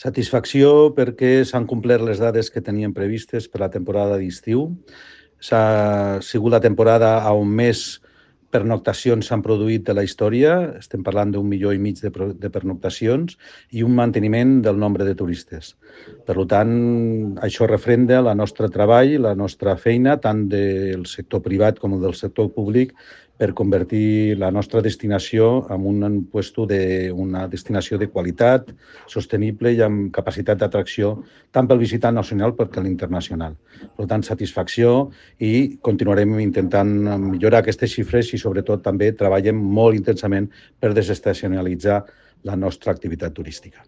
Satisfacció perquè s'han complert les dades que teníem previstes per la temporada d'estiu. S'ha sigut la temporada on més pernoctacions s'han produït de la història. Estem parlant d'1,5 milió de pernoctacions i un manteniment del nombre de turistes. Per tant, això refrenda el nostre treball, la nostra feina, tant del sector privat com del sector públic, per convertir la nostra destinació en una destinació de qualitat, sostenible i amb capacitat d'atracció tant pel visitant nacional com per l'internacional. Per tant, satisfacció i continuarem intentant millorar aquestes xifres i sobretot també treballem molt intensament per desestacionalitzar la nostra activitat turística.